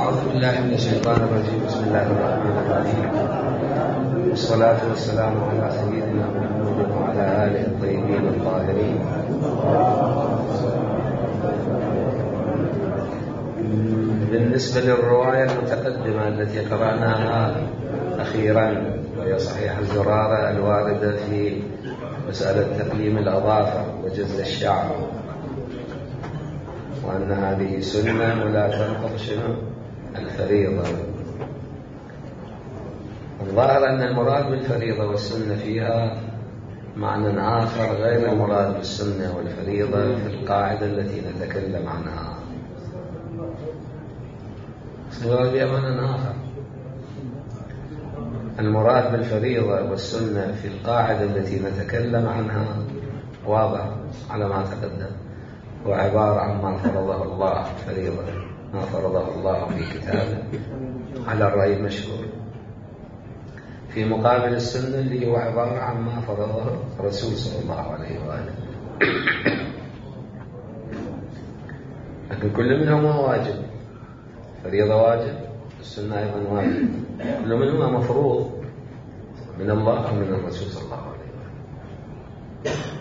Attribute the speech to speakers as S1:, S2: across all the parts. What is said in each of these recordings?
S1: أعوذ بالله من الشيطان الرجيم. بسم الله الرحمن الرحيم، والصلاة والسلام على سيدنا محمد وعلى آله الطيبين الطاهرين. بالنسبة للرواية المتقدمة التي قرأناها أخيرا، وهي صحيح الزرارة الواردة في مسألة تقليم الأظافر وجز الشعر، وأن هذه سنة ولا تنقض الفريضة. الظاهر أن المراد بالفريضة والسنة فيها معنى آخر غير المراد بالسنة والفريضة في القاعدة التي نتكلم عنها. المراد بها معنى آخر. المراد بالفريضة والسنة في القاعدة التي نتكلم عنها واضح على ما تقدم، هو عبارة عن ما فرضه الله فريضة، ما فرضه الله في كتابه على الرأي المشهور، في مقابل السنة اللي هو عبارة عن ما فرضه الرسول صلى الله عليه وآله. لكن كل منهما واجب، فريضة واجب، السنة أيضا واجب، كل منهما مفروض من الله أو من الرسول صلى الله عليه وآله.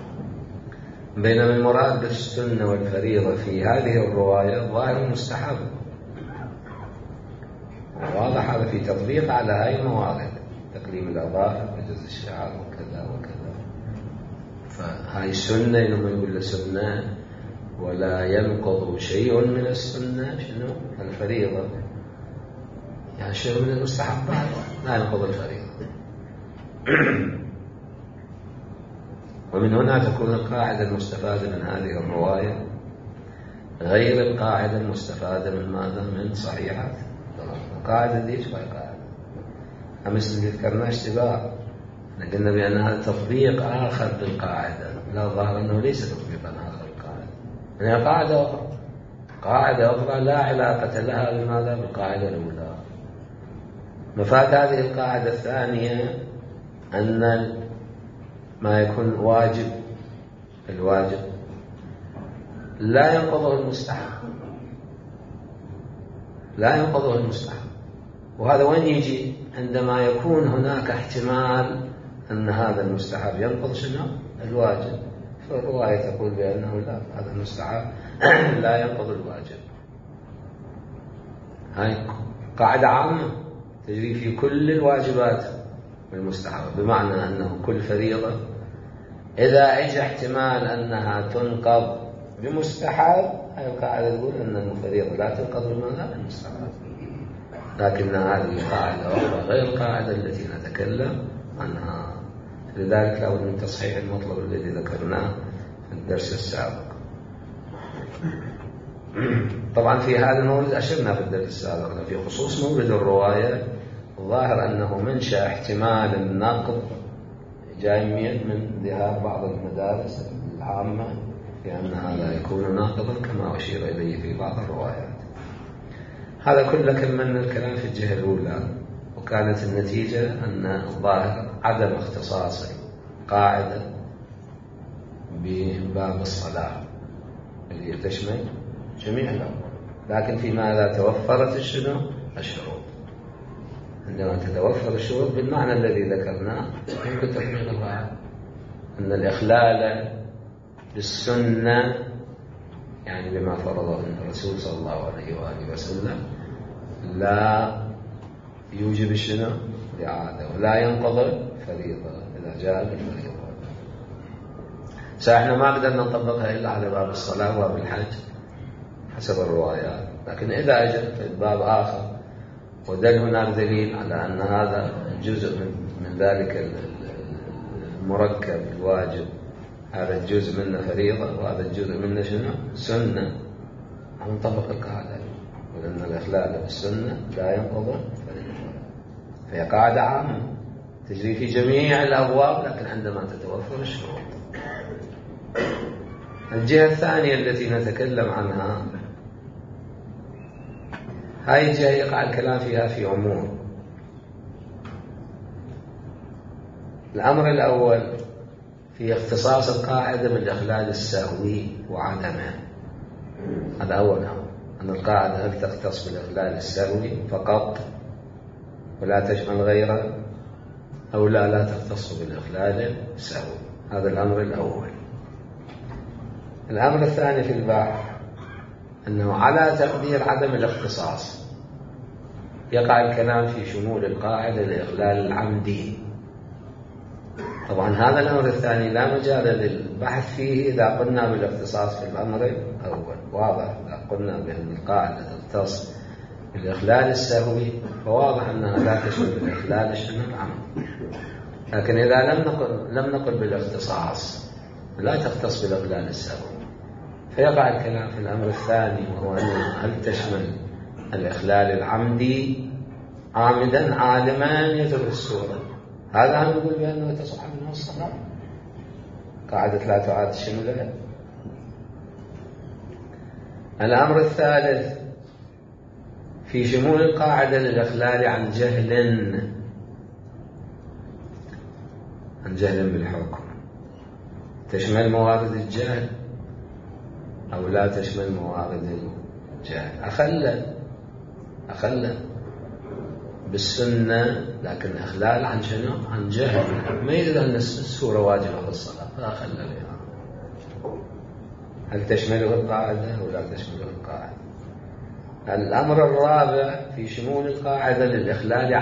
S1: بينما المراد بالسنة والفريضة في هذه الرواية ظاهر مستحب، واضح هذا في تطبيق على هاي الموارد، تقليم الأظافر وجز الشعر وكذا وكذا. فهاي السنة إنما يقول له سنة ولا ينقض شيء من السنة شنو الفريضة، يعني شيء من المستحبات لا ينقض الفريضة. ومن هنا تكون القاعدة المستفادة من هذه الرواية غير القاعدة المستفادة من ماذا؟ من صحيحات القاعدة دي. شو القاعدة؟ أمس اللي ذكرناه اشتباه، قلنا بأن هذا تطبيق آخر للقاعدة، لا، ظاهر أنه ليس تطبيقا آخر للقاعدة، هي قاعدة أخرى، قاعدة أخرى لا علاقة لها بماذا؟ بالقاعدة الأولى. مفاد هذه القاعدة الثانية أن ما يكون واجب، الواجب لا ينقضه المستحب، لا ينقضه المستحب. وهذا وين يجي؟ عندما يكون هناك احتمال أن هذا المستحب ينقض شنو؟ الواجب. فالرواية تقول بأنه لا، هذا المستحب لا ينقض الواجب. هاي قاعدة عامة تجري في كل الواجبات والمستحب، بمعنى أنه كل فريضة إذا اجى احتمال أنها تنقض بمستحب، هاي القاعدة تقول أن الفريضة لا تنقض بماذا؟ المستحب. لكن هذه قاعدة أخرى غير القاعدة التي نتكلم عنها، لذلك لابد من تصحيح المطلب الذي ذكرناه في الدرس السابق. طبعا في هذا المورد أشرنا في الدرس السابق في خصوص مورد الرواية، الظاهر أنه منشأ احتمال النقض جاي من ذهاب بعض المدارس العامة في أن هذا يكون ناقضا كما أشير إليه في بعض الروايات. هذا كله كملنا الكلام في الجهة الأولى، وكانت النتيجة أن الظاهر عدم اختصاص قاعدة بباب الصلاة اللي تشمل جميع الأمور، لكن في ماذا توفرت الشروط. عندما تتوفر الشروط بالمعنى الذي ذكرناه يمكن تطبيق القاعدة، أن الإخلال بالسنة يعني بما فرضه الرسول صلى الله عليه وآله وسلم لا يوجب الإعادة، ولا ينقض الفريضة إذا جاء بالفريضة. احنا ما قدرنا نطبقها إلا على باب الصلاة وباب الحج حسب الروايات، لكن إذا أجت في باب آخر ودل هناك دليل على أن هذا جزء من ذلك المركب الواجب، هذا الجزء منه فريضة وهذا الجزء منه سنة، نطبق القاعدة، ولأن الإخلال بالسنة لا ينقض فريضة. فهي قاعدة عامة تجري في جميع الأبواب، لكن عندما تتوفر الشروط. الجهة الثانية التي نتكلم عنها، هاي الجهة يقع الكلام فيها في أمور. الأمر الأول في اختصاص القاعدة بالإخلال السهوي وعدمه، هذا أول أمر، أن القاعدة هل تختص بالإخلال السهوي فقط ولا تشمل غيره، أو لا تختص بالإخلال السهوي. هذا الأمر الأول. الأمر الثاني في البحث أنه على تقدير عدم الاختصاص يقع الكلام في شمول القاعدة للإخلال العمدي. طبعا هذا الأمر الثاني لا مجال للبحث فيه إذا قلنا بالاختصاص في الأمر الأول. واضح إذا قلنا بأن القاعدة تختص بالإخلال السهوي فواضح أنها لا تشمل الإخلال العمدي. لكن إذا لم نقل بالاختصاص لا تختص بالإخلال السهوي فيقع الكلام في الأمر الثاني، وهو أنه هل تشمل الإخلال العمدي عامدا عالما يترك الصورة. هذا هم نقول بأنه تصح منه الصلاة. قاعدة لا تعاد شملها. الأمر الثالث في شمول القاعدة للإخلال عن جهل بالحكم. تشمل موارد الجهل أو لا تشمل موارد الجهل. أخلى بالسنة، لكن إخلال عن شنو؟ عن جهل. ما يدري أن السورة واجبة في الصلاة فأخلى بها. هل تشمله القاعدة أو لا تشمله القاعدة؟ الأمر الرابع في شمول القاعدة للإخلال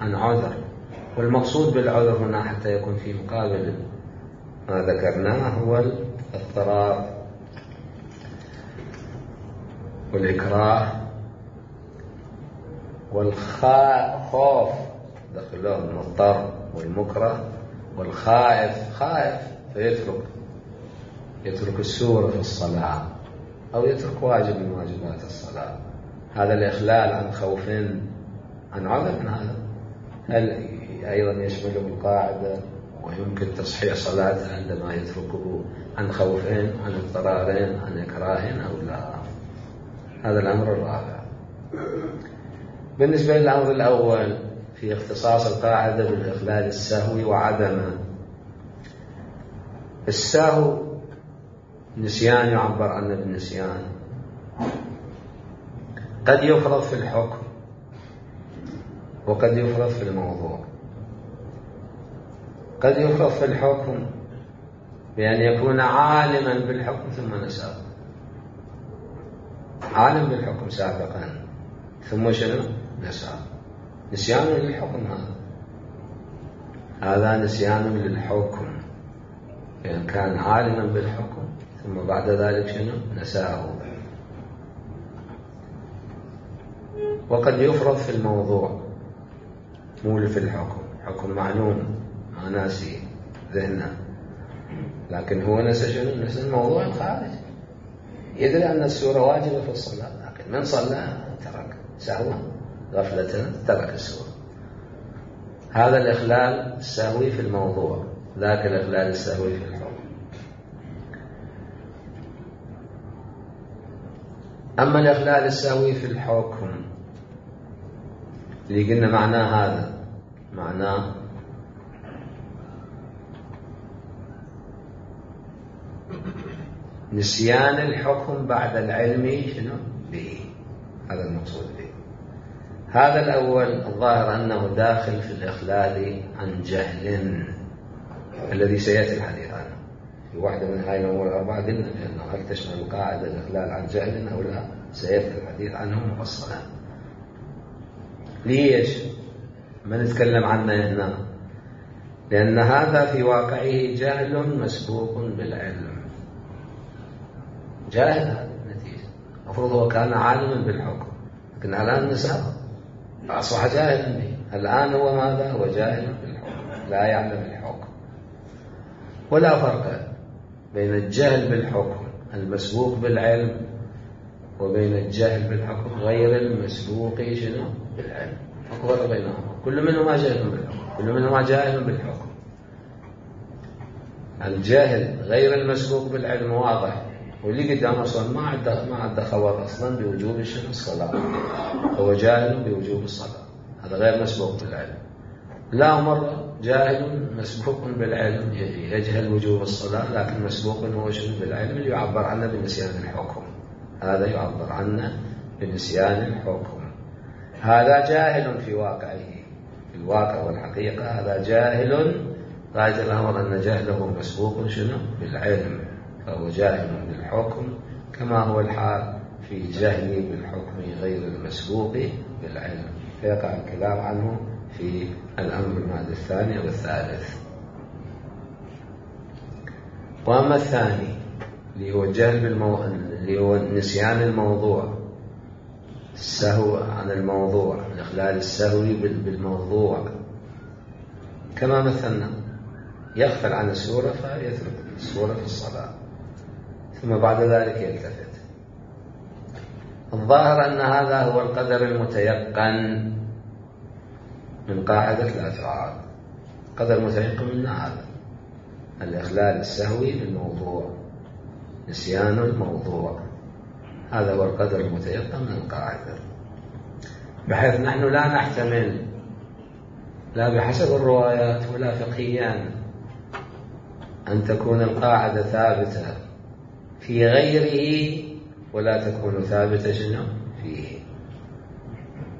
S1: عن عذر. والمقصود بالعذر هنا حتى يكون في مقابل ما ذكرناه هو الاضطرار والإكراه والخوف، دخلهم المضطر والمكره، والخائف فيترك السورة في الصلاة أو يترك واجب من واجبات الصلاة. هذا الإخلال عن خوف عن عذر. هذا هل أيضا يشمله القاعدة ويمكن تصحيح صلاته عندما يتركه عن خوفين، عن اضطرارين، عن إكراهين أو لا؟ هذا الأمر الرابع. بالنسبة للأمر الأول في اختصاص القاعدة بالإخلال السهوي وعدمه. السهو نسيان يعبر عنه بالنسيان، قد يفرض في الحكم وقد يفرض في الموضوع. قد يفرض في الحكم بأن يكون عالما بالحكم ثم نساه، عالم بالحكم سابقا ثم شنو؟ نساه. نسيان للحكم. هذا نسيان للحكم، لأن كان عالما بالحكم ثم بعد ذلك شنو؟ نساه. وقد يفرض في الموضوع، مو في الحكم. حكم معلوم ما ناسي ذهنه، لكن هو نسى شنو؟ نسى الموضوع الخارج. يدري أن السورة واجبة في الصلاة، لكن من صلى ترك سهوا غفلة ترك السورة. هذا الإخلال السهوي في الموضوع، ذاك الإخلال السهوي في الحكم. أما الإخلال السهوي في الحكم اللي قلنا معناه هذا، معناه نسيان الحكم بعد العلم شنو به. هذا المقصود به. هذا الأول الظاهر أنه داخل في الإخلال عن جهل الذي سيأتي الحديث عنه في واحدة من هاي الأمور الأربعة. قلنا بأنه هل تشمل القاعدة الإخلال عن جهل أو لا، سيأتي الحديث عنه مفصلا. ليش ما نتكلم عنه هنا؟ لأن هذا في واقعه جهل مسبوق بالعلم. جاهل هذا النتيجة. المفروض هو كان عالما بالحكم، لكن الآن نساه أصبح جاهلا به. الآن هو ماذا؟ هو جاهل بالحكم، لا يعلم الحكم. ولا فرق بين الجهل بالحكم المسبوق بالعلم وبين الجهل بالحكم غير المسبوق شنو بالعلم. فرق بينهما. كل منهما جاهل بالحكم، كل منهما جاهل بالحكم. الجاهل غير المسبوق بالعلم واضح، واللي قدام أصلا ما عنده خبر أصلا بوجوب الصلاة، هو جاهل بوجوب الصلاة، هذا غير مسبوق بالعلم. لا مرة جاهل مسبوق بالعلم، يجهل وجوب الصلاة لكن مسبوق هو شنو بالعلم اللي يعبر عنه بنسيان الحكم. هذا يعبر عنه بنسيان الحكم. هذا جاهل في واقعه، في الواقع والحقيقة هذا جاهل غاية الأمر أن جهله مسبوق شنو بالعلم، فهو جاهل بالحكم كما هو الحال في جهله بالحكم غير المسبوق بالعلم، فيقع الكلام عنه في الأمر المادة الثاني والثالث. وأما الثاني اللي هو الجهل اللي هو نسيان الموضوع، السهو عن الموضوع، الإخلال السهوي بالموضوع، كما مثلنا يغفل عن السورة فيترك السورة في الصلاة ثم بعد ذلك يلتفت. الظاهر أن هذا هو القدر المتيقن من قاعدة لا تعارض. قدر متيقن من هذا الإخلال السهوي بالموضوع، نسيان الموضوع، هذا هو القدر المتيقن من القاعدة، بحيث نحن لا نحتمل لا بحسب الروايات ولا فقهيا أن تكون القاعدة ثابتة في غيره ولا تكون ثابتة شنو فيه.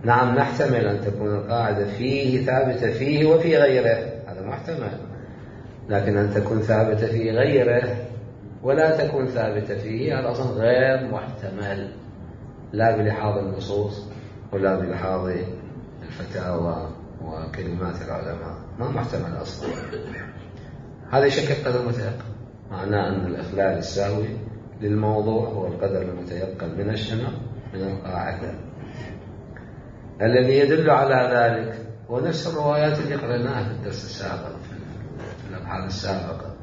S1: نعم نحتمل أن تكون القاعدة فيه ثابتة فيه وفي غيره، هذا محتمل، لكن أن تكون ثابتة في غيره ولا تكون ثابتة فيه هذا أصلا غير محتمل، لا بلحاظ النصوص ولا بلحاظ الفتاوى وكلمات العلماء، ما محتمل أصلا. هذا يشكل قدر متيقن، معناه أن الإخلال السهوي للموضوع هو القدر المتيقن من الشنو من القاعدة. الذي يدل على ذلك هو نفس الروايات اللي قرأناها في الدرس السابق في الأبحاث السابقة،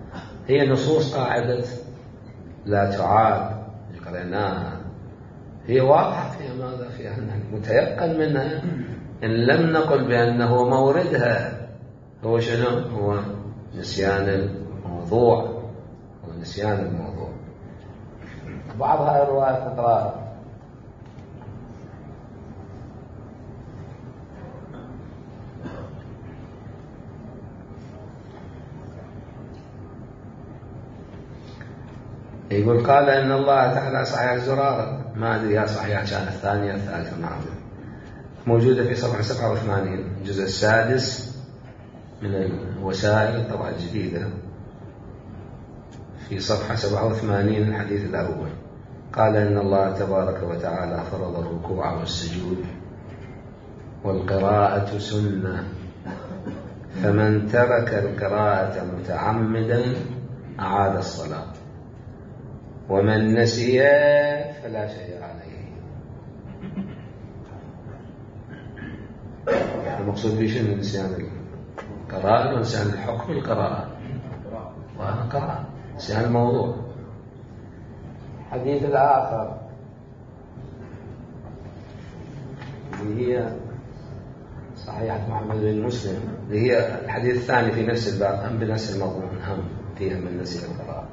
S1: هي نصوص قاعدة لا تعاد اللي قرأناها، هي واضحة في ماذا؟ في أنها متيقن منها، إن لم نقل بأنه موردها هو شنو؟ هو نسيان الموضوع، ونسيان الموضوع. بعض هذه الروايات نقرأها. يقول قال إن الله تعالى صحيح الزرارة، ما أدري يا صحيح كان الثانية الثالثة معه، موجودة في صفحة 87 الجزء السادس من الوسائل الطبعة الجديدة، في صفحة 87 الحديث الأول. قال إن الله تبارك وتعالى فرض الركوع والسجود والقراءة سنة، فمن ترك القراءة متعمدا أعاد الصلاة، ومن نسي فلا شيء عليه. المقصود به شنو؟ نسيان القراءة ونسيان الحكم القراءة، وهذا قراءة نسيان الموضوع. الحديث الآخر اللي هي صحيحة محمد بن مسلم، اللي هي الحديث الثاني في نفس الباب، هم بنفس المضمون، هم فيها من نسي القراءة.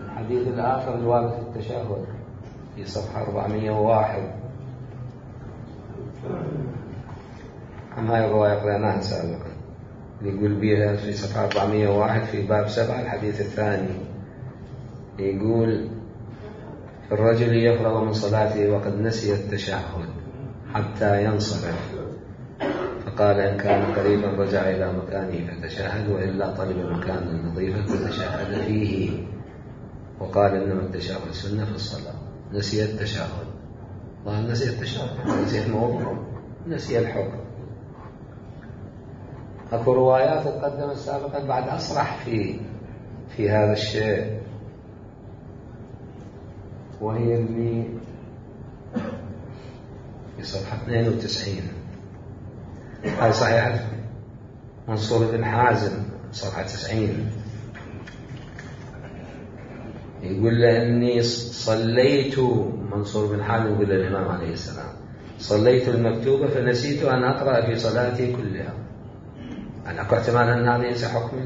S1: الحديث الآخر الوارد في التشهد في صفحة 401، هم هاي الرواية قرأناها سابقا، اللي يقول بها في صفحة 401 في باب 7 الحديث الثاني، يقول الرجل يفرغ من صلاته وقد نسي التشهد حتى ينصرف، فقال إن كان قريبا رجع إلى مكانه فتشهد، وإلا طلب مكانا نظيفا فتشهد فيه، وقال إنما التشهد سنة في الصلاة. نسي التشهد، الله نسي التشهد، نسي الموضوع، نسي الحكم. أكو روايات تقدمت سابقا بعد أصرح في هذا الشيء، وهي اللي في صفحة 92، هذه صحيحة منصور بن حازم صفحة 90، يقول لأني صليت، منصور بن حازم يقول للإمام عليه السلام صليت المكتوبة فنسيت أن أقرأ في صلاتي كلها. أنا أكو احتمال أن هذا ينسى حكم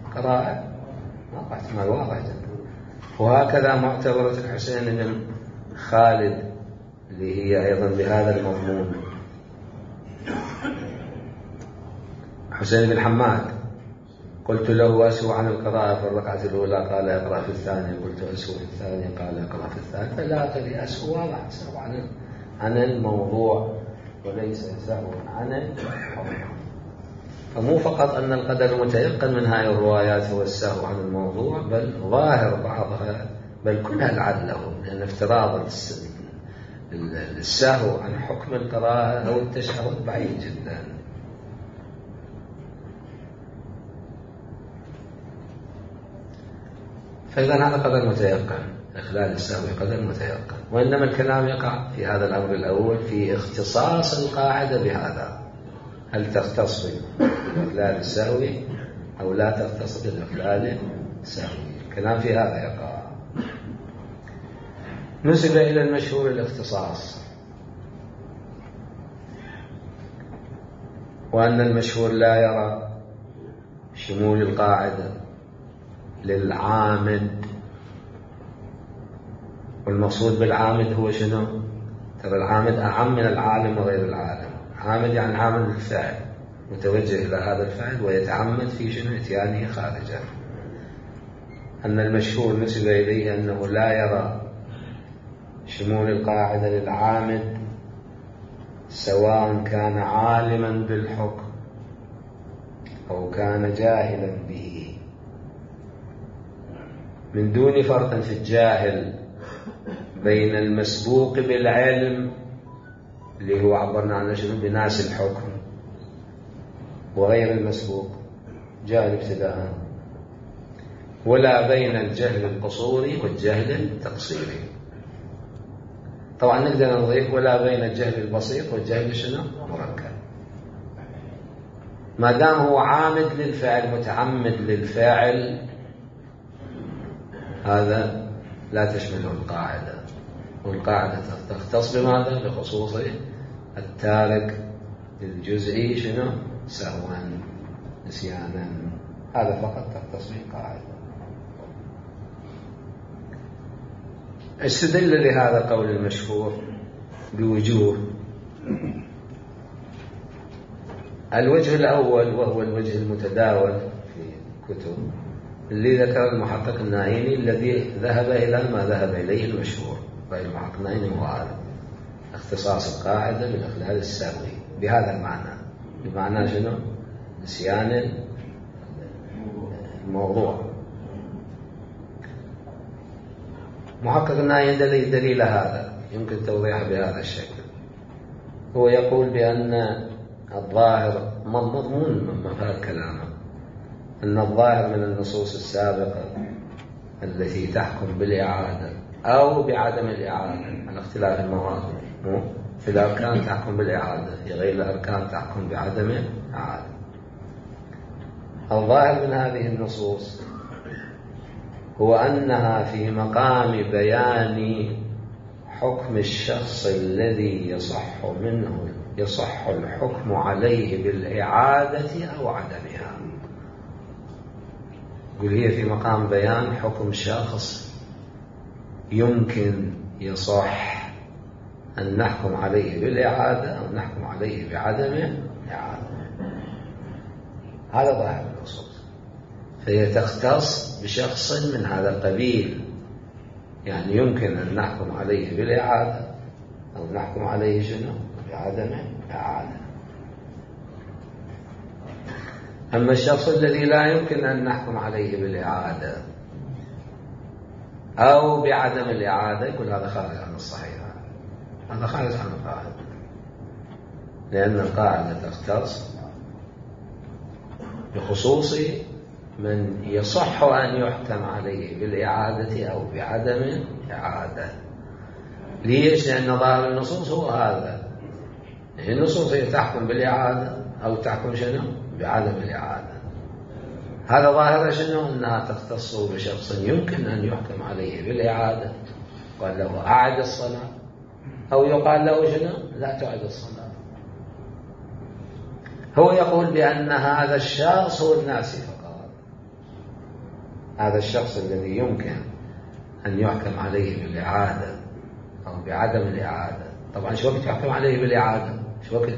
S1: القراءة، ما احتمال واضح جدا. وهكذا معتبرة الحسين بن خالد اللي هي أيضا بهذا المضمون، حسين بن حماد قلت له أسهو عن القراءة في الركعة الأولى قال اقرأ في الثانية، قلت أسهو في الثانية قال اقرأ في الثالثة. لا تري أسهو واضح، سهو عن الموضوع وليس سهو عن الحكم. فمو فقط أن القدر المتيقن من هذه الروايات هو السهو عن الموضوع، بل ظاهر بعضها بل كلها لعله، لأن افتراض السهو عن حكم القراءة أو التشهد بعيد جدا. فإذا هذا قدر متيقن، إخلال السهو قدر متيقن. وإنما الكلام يقع في هذا الأمر الأول في اختصاص القاعدة بهذا، هل تختص بالإخلال السهوي أو لا تختص بالإخلال السهوي. الكلام في هذا يقع. نسب إلى المشهور الاختصاص، وأن المشهور لا يرى شمول القاعدة للعامد. والمقصود بالعامد هو شنو؟ ترى العامد أعم من العالم وغير العالم. عامد يعني عامل الفعل، متوجه إلى هذا الفعل ويتعمد في شنو؟ اتيانه خارجه. أن المشهور نسب إليه أنه لا يرى شمول القاعدة للعامد سواء كان عالما بالحكم أو كان جاهلا به، من دون فرق في الجاهل بين المسبوق بالعلم اللي هو عبرنا عنه شنو؟ بناس الحكم، وغير المسبوق جاهل ابتداء، ولا بين الجهل القصوري والجهل التقصيري. طبعا نقدر نضيف ولا بين الجهل البسيط والجهل شنو؟ مركب. ما دام هو عامد للفعل متعمد للفاعل، هذا لا تشمله القاعدة. والقاعدة تختص بماذا؟ بخصوص التارك للجزئي شنو؟ سهوا نسيانا، هذا فقط تختص به القاعدة. استدل لهذا قول المشهور بوجوه. الوجه الأول وهو الوجه المتداول في الكتب اللي ذكر المحقق النائيني، الذي ذهب إلى ما ذهب إليه المشهور. المحقق النائيني هو هذا اختصاص القاعدة بالإخلال السهوي بهذا المعنى، بمعنى شنو؟ نسيان الموضوع. محقق النائيني دليل هذا يمكن توضيحه بهذا الشكل. هو يقول بأن الظاهر مضمون مفاد كلامه، أن الظاهر من النصوص السابقة التي تحكم بالإعادة أو بعدم الإعادة على اختلاف المواضع، في الأركان تحكم بالإعادة، في غير الأركان تحكم بعدم الإعادة. الظاهر من هذه النصوص هو أنها في مقام بيان حكم الشخص الذي يصح الحكم عليه بالإعادة أو عدمها. يقول هي في مقام بيان حكم شخص يمكن يصح أن نحكم عليه بالإعادة أو نحكم عليه بعدم الإعادة. هذا ظاهر النصوص، فهي تختص بشخص من هذا القبيل، يعني يمكن أن نحكم عليه بالإعادة أو نحكم عليه شنو؟ بعدم الإعادة. أما الشخص الذي لا يمكن أن نحكم عليه بالإعادة أو بعدم الإعادة، يقول هذا خارج عن الصحيح، هذا خارج عن القاعدة، لأن القاعدة تختص بخصوص من يصح أن يحكم عليه بالإعادة أو بعدم الإعادة. ليش؟ لأن ظاهر النصوص هو هذا. النصوص هي تحكم بالإعادة أو تحكم شنو؟ بعدم الإعادة. هذا ظاهر شنو؟ أنها تختص بشخص يمكن أن يحكم عليه بالإعادة، قال له أعد الصلاة، أو يقال له شنو؟ لا تعد الصلاة. هو يقول بأن هذا الشخص هو الناسي فقط، هذا الشخص الذي يمكن أن يحكم عليه بالإعادة أو بعدم الإعادة. طبعا شو وقت يحكم عليه بالإعادة؟ شو وقت؟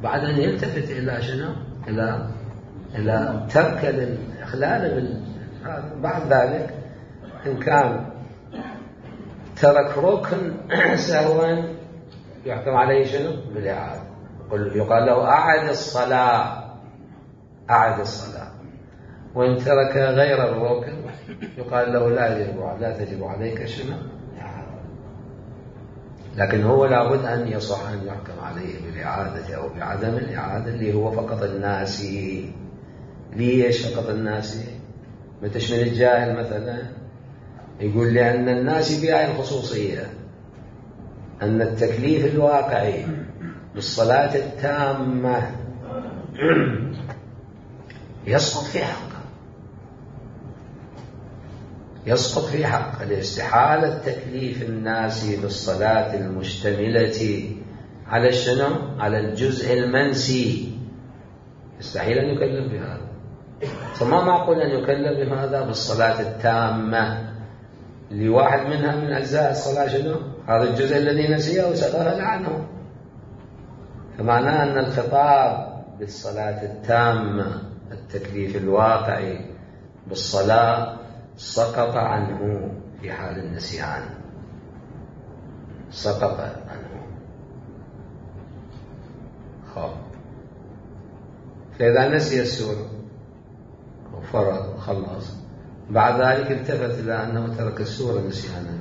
S1: بعد أن يلتفت إلى شنو؟ إلى إلى ترك الإخلال بعد ذلك إن كان ترك ركن سهوا يحكم عليه شنو؟ بالإعادة. يقال له أعد الصلاة، أعد الصلاة. وإن ترك غير الركن يقال له لا تجب عليك شنو؟ لكن هو لابد أن يصح أن يحكم عليه بالإعادة أو بعدم الإعادة، اللي هو فقط الناسي. ليش فقط الناسي؟ ما تشمل الجاهل مثلا؟ يقول لأن الناسي بهاي الخصوصية، أن التكليف الواقعي بالصلاة التامة يسقط في حقه، يسقط في حق الاستحالة تكليف الناس بالصلاة المشتملة على شنو؟ على الجزء المنسي. يستحيل أن يكلف بهذا، فما معقول أن يكلف بهذا بالصلاة التامة لواحد منها من أجزاء الصلاة شنو؟ هذا الجزء الذي نسيه وسغل عنه. فمعناه أن الخطاب بالصلاة التامة التكليف الواقعي بالصلاة سقط عنه في حال النسيان، سقط عنه. فإذا نسي السورة وفرض خلص، بعد ذلك التفت إلى أنه ترك السورة نسيانا،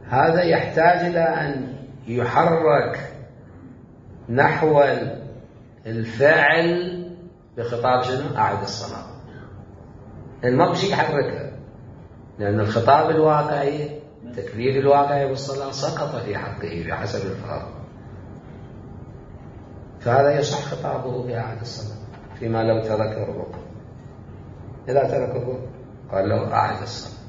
S1: هذا يحتاج إلى أن يحرك نحو الفعل بخطاب شنو؟ أعد الصلاة. ما بشي يحركها، لأن الخطاب الواقعي التكليف الواقعي بالصلاة سقط في حقه بحسب الفرض، فهذا يصح خطابه بأعد الصلاة فيما لو ترك الركن. إذا ترك الركن قال له أعد الصلاة،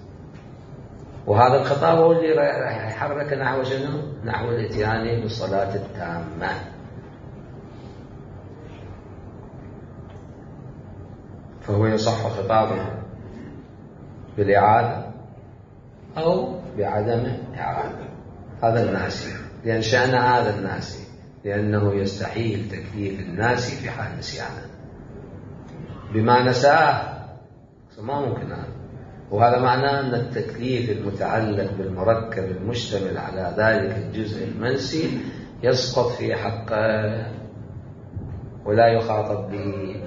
S1: وهذا الخطاب هو اللي راح يحرك نحو شنو؟ نحو الاتيان بالصلاة التامة. فهو يصح خطابه بالإعادة أو بعدم إعادة. هذا الناسي، لأن شأن هذا الناسي لأنه يستحيل تكليف الناس في حال نسيانه بما نساه، ما ممكن هذا. وهذا معناه أن التكليف المتعلق بالمركب المشتمل على ذلك الجزء المنسي يسقط في حقه ولا يخاطب به.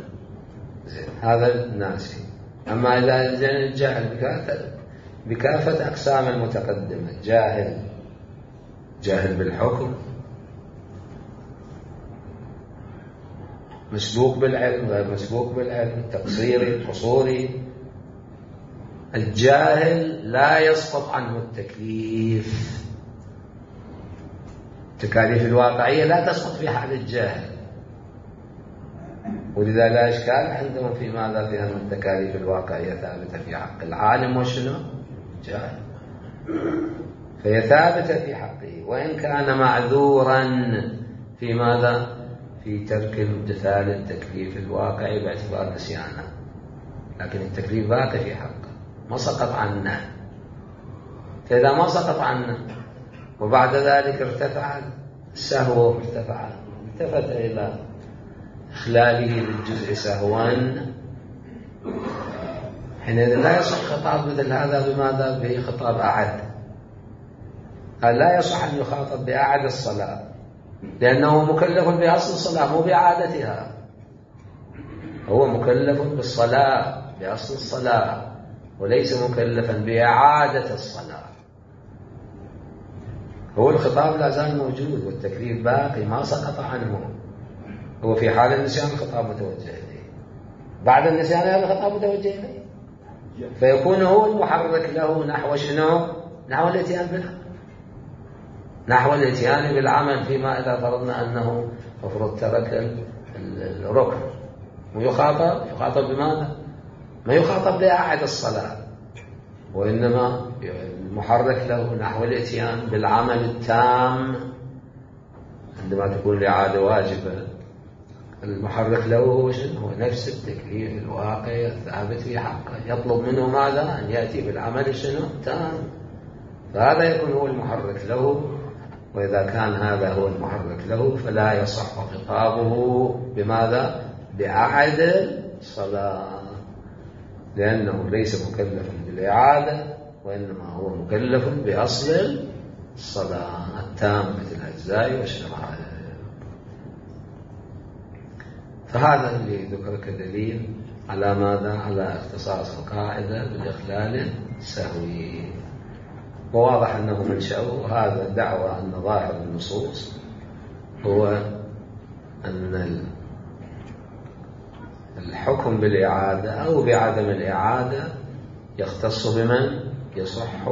S1: هذا الناسي. أما إذا الجاهل بكافة أقسام المتقدمة، جاهل بالحكم، مسبوق بالعلم، غير مسبوق بالعلم، تقصيري، قصوري. الجاهل لا يسقط عنه التكليف، التكاليف الواقعية لا تسقط في حال الجاهل، ولذا لا إشكال عندهم في ماذا؟ في أن التكاليف الواقعية ثابتة في حق العالم وشنو؟ جاهل، فهي ثابتة في حقه وإن كان معذورا في ماذا؟ في ترك امتثال التكليف الواقعي باعتبار نسيانه، لكن التكليف باقي في حقه ما سقط عنه. فإذا ما سقط عنه وبعد ذلك ارتفع السهو، التفت إلى إخلاله للجزء سهوا، حينئذ لا يصح خطاب مثل هذا بماذا؟ به خطاب أعد. لا يصح أن يخاطب بأعد الصلاة، لأنه مكلف بأصل الصلاة مو بإعادتها، هو مكلف بالصلاة بأصل الصلاة وليس مكلفا بإعادة الصلاة. هو الخطاب لا زال موجود والتكليف باقي ما سقط عنه، هو في حال النسيان الخطاب متوجه إليه، بعد النسيان هذا الخطاب متوجه إليه، فيكون هو المحرك له نحو شنو؟ نحو الاتيان بالعمل، نحو الاتيان بالعمل، فيما إذا فرضنا أنه مفروض ترك الركن ويخاطب بماذا؟ ما يخاطب بأعد الصلاة، وإنما المحرك له نحو الاتيان بالعمل التام. عندما تكون الإعادة واجبة المحرك له هو شنو؟ هو نفس التكليف الواقعي الثابت في حقه، يطلب منه ماذا؟ أن يأتي بالعمل شنو؟ تام، فهذا يكون هو المحرك له. وإذا كان هذا هو المحرك له فلا يصح خطابه بماذا؟ بأعد الصلاة، لأنه ليس مكلفا بالإعادة، وإنما هو مكلف بأصل الصلاة التامة الأجزاء والشرائع. فهذا اللي ذكر كدليل على ماذا؟ على اختصاص القاعدة بالإخلال السهوي. وواضح أنه منشأه هذا الدعوة أن ظاهر النصوص هو أن الحكم بالإعادة أو بعدم الإعادة يختص بمن يصح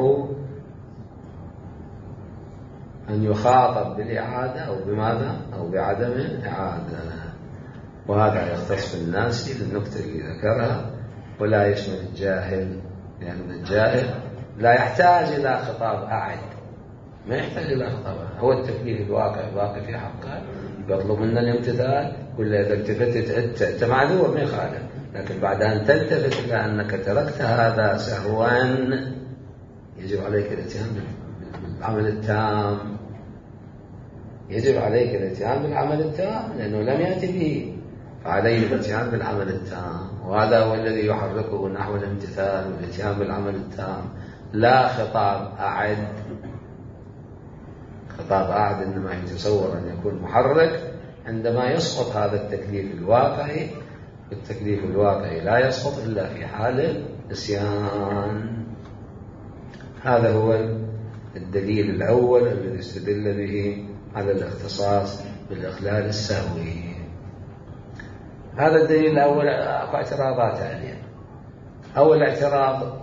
S1: أن يخاطب بالإعادة أو بماذا؟ أو بعدم الإعادة. وهذا يختص بالناس للنكتة اللي ذكرها، ولا يشمل الجاهل، لأن الجاهل لا يحتاج إلى خطاب أعد، ما يحتاج إلى خطاب أعد. هو التكليف الواقع باقي في حقه، يطلب منا الامتثال، ولا إذا التفتت أنت معذور ما يخالف، لكن بعد أن تلتفت إلى أنك تركت هذا سهوا يجب عليك الاتيان بالعمل التام. يجب عليك الاتيان بالعمل التام لأنه لم يأتي به، فعليه الاتيان بالعمل التام، وهذا هو الذي يحركه نحو الامتثال والاتيان بالعمل التام، لا خطاب أعد. خطاب أعد إنما يتصور أن يكون محرك عندما يسقط هذا التكليف الواقعي، والتكليف الواقعي لا يسقط إلا في حال النسيان. هذا هو الدليل الأول الذي استدل به على الاختصاص بالإخلال السهوي. هذا الدليل الأول. اعتراضات عليه. أول اعتراض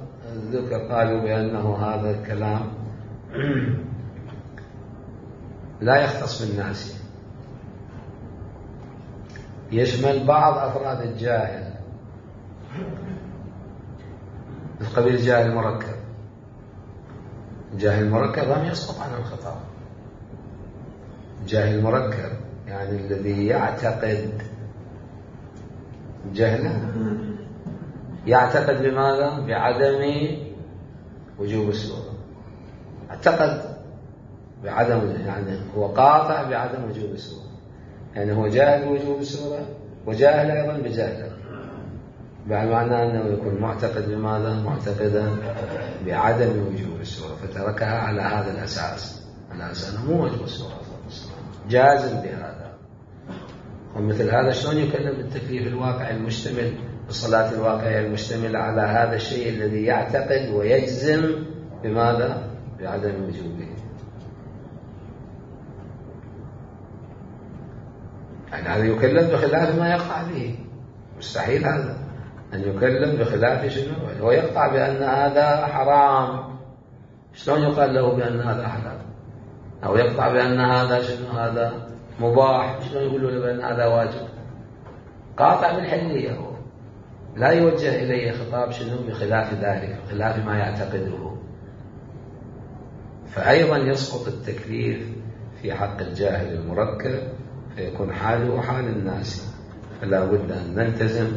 S1: ذكر قالوا بأنه هذا الكلام لا يختص بالناس، يشمل بعض أفراد الجاهل، مثل قبيل الجاهل المركب. الجاهل المركب لم يسقط عن الخطاب. الجاهل المركب يعني الذي يعتقد جهلا، يعتقد بماذا؟ بعدم وجوب السورة. اعتقد بعدم، يعني هو قاطع بعدم وجوب السورة، يعني هو جاهل بوجوب السورة وجاهل أيضا بجهله، بمعنى أنه يكون معتقد بماذا؟ معتقدا بعدم وجوب السورة، فتركها على هذا الأساس، على أساس أنه مو وجب السورة، جازم بهذا. ومثل هذا شلون يكلم بالتكليف الواقعي المشتمل، بالصلاة الواقعية المشتملة على هذا الشيء الذي يعتقد ويجزم بماذا؟ بعدم وجوبه. يعني هذا يكلم بخلاف ما يقطع به، مستحيل هذا أن يكلم بخلاف شنو؟ هو يقطع بأن هذا حرام، شلون يقال له بأن هذا حرام؟ أو يقطع بأن هذا شنو؟ هذا مباح، شلون يقولوا له بأن هذا واجب؟ قاطع بالحلية، هو لا يوجه إليه خطاب شنو؟ بخلاف ذلك، بخلاف ما يعتقده. فأيضا يسقط التكليف في حق الجاهل المركب، فيكون حاله حال الناس. فلا بد أن نلتزم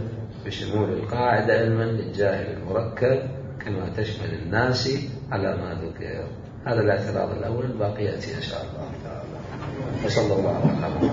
S1: بشمول القاعدة علما للجاهل المركب كما تشمل الناس على ما ذكر. هذا الاعتراض الأول، باقي يأتي إن شاء الله تعالى. وصلى الله على محمد.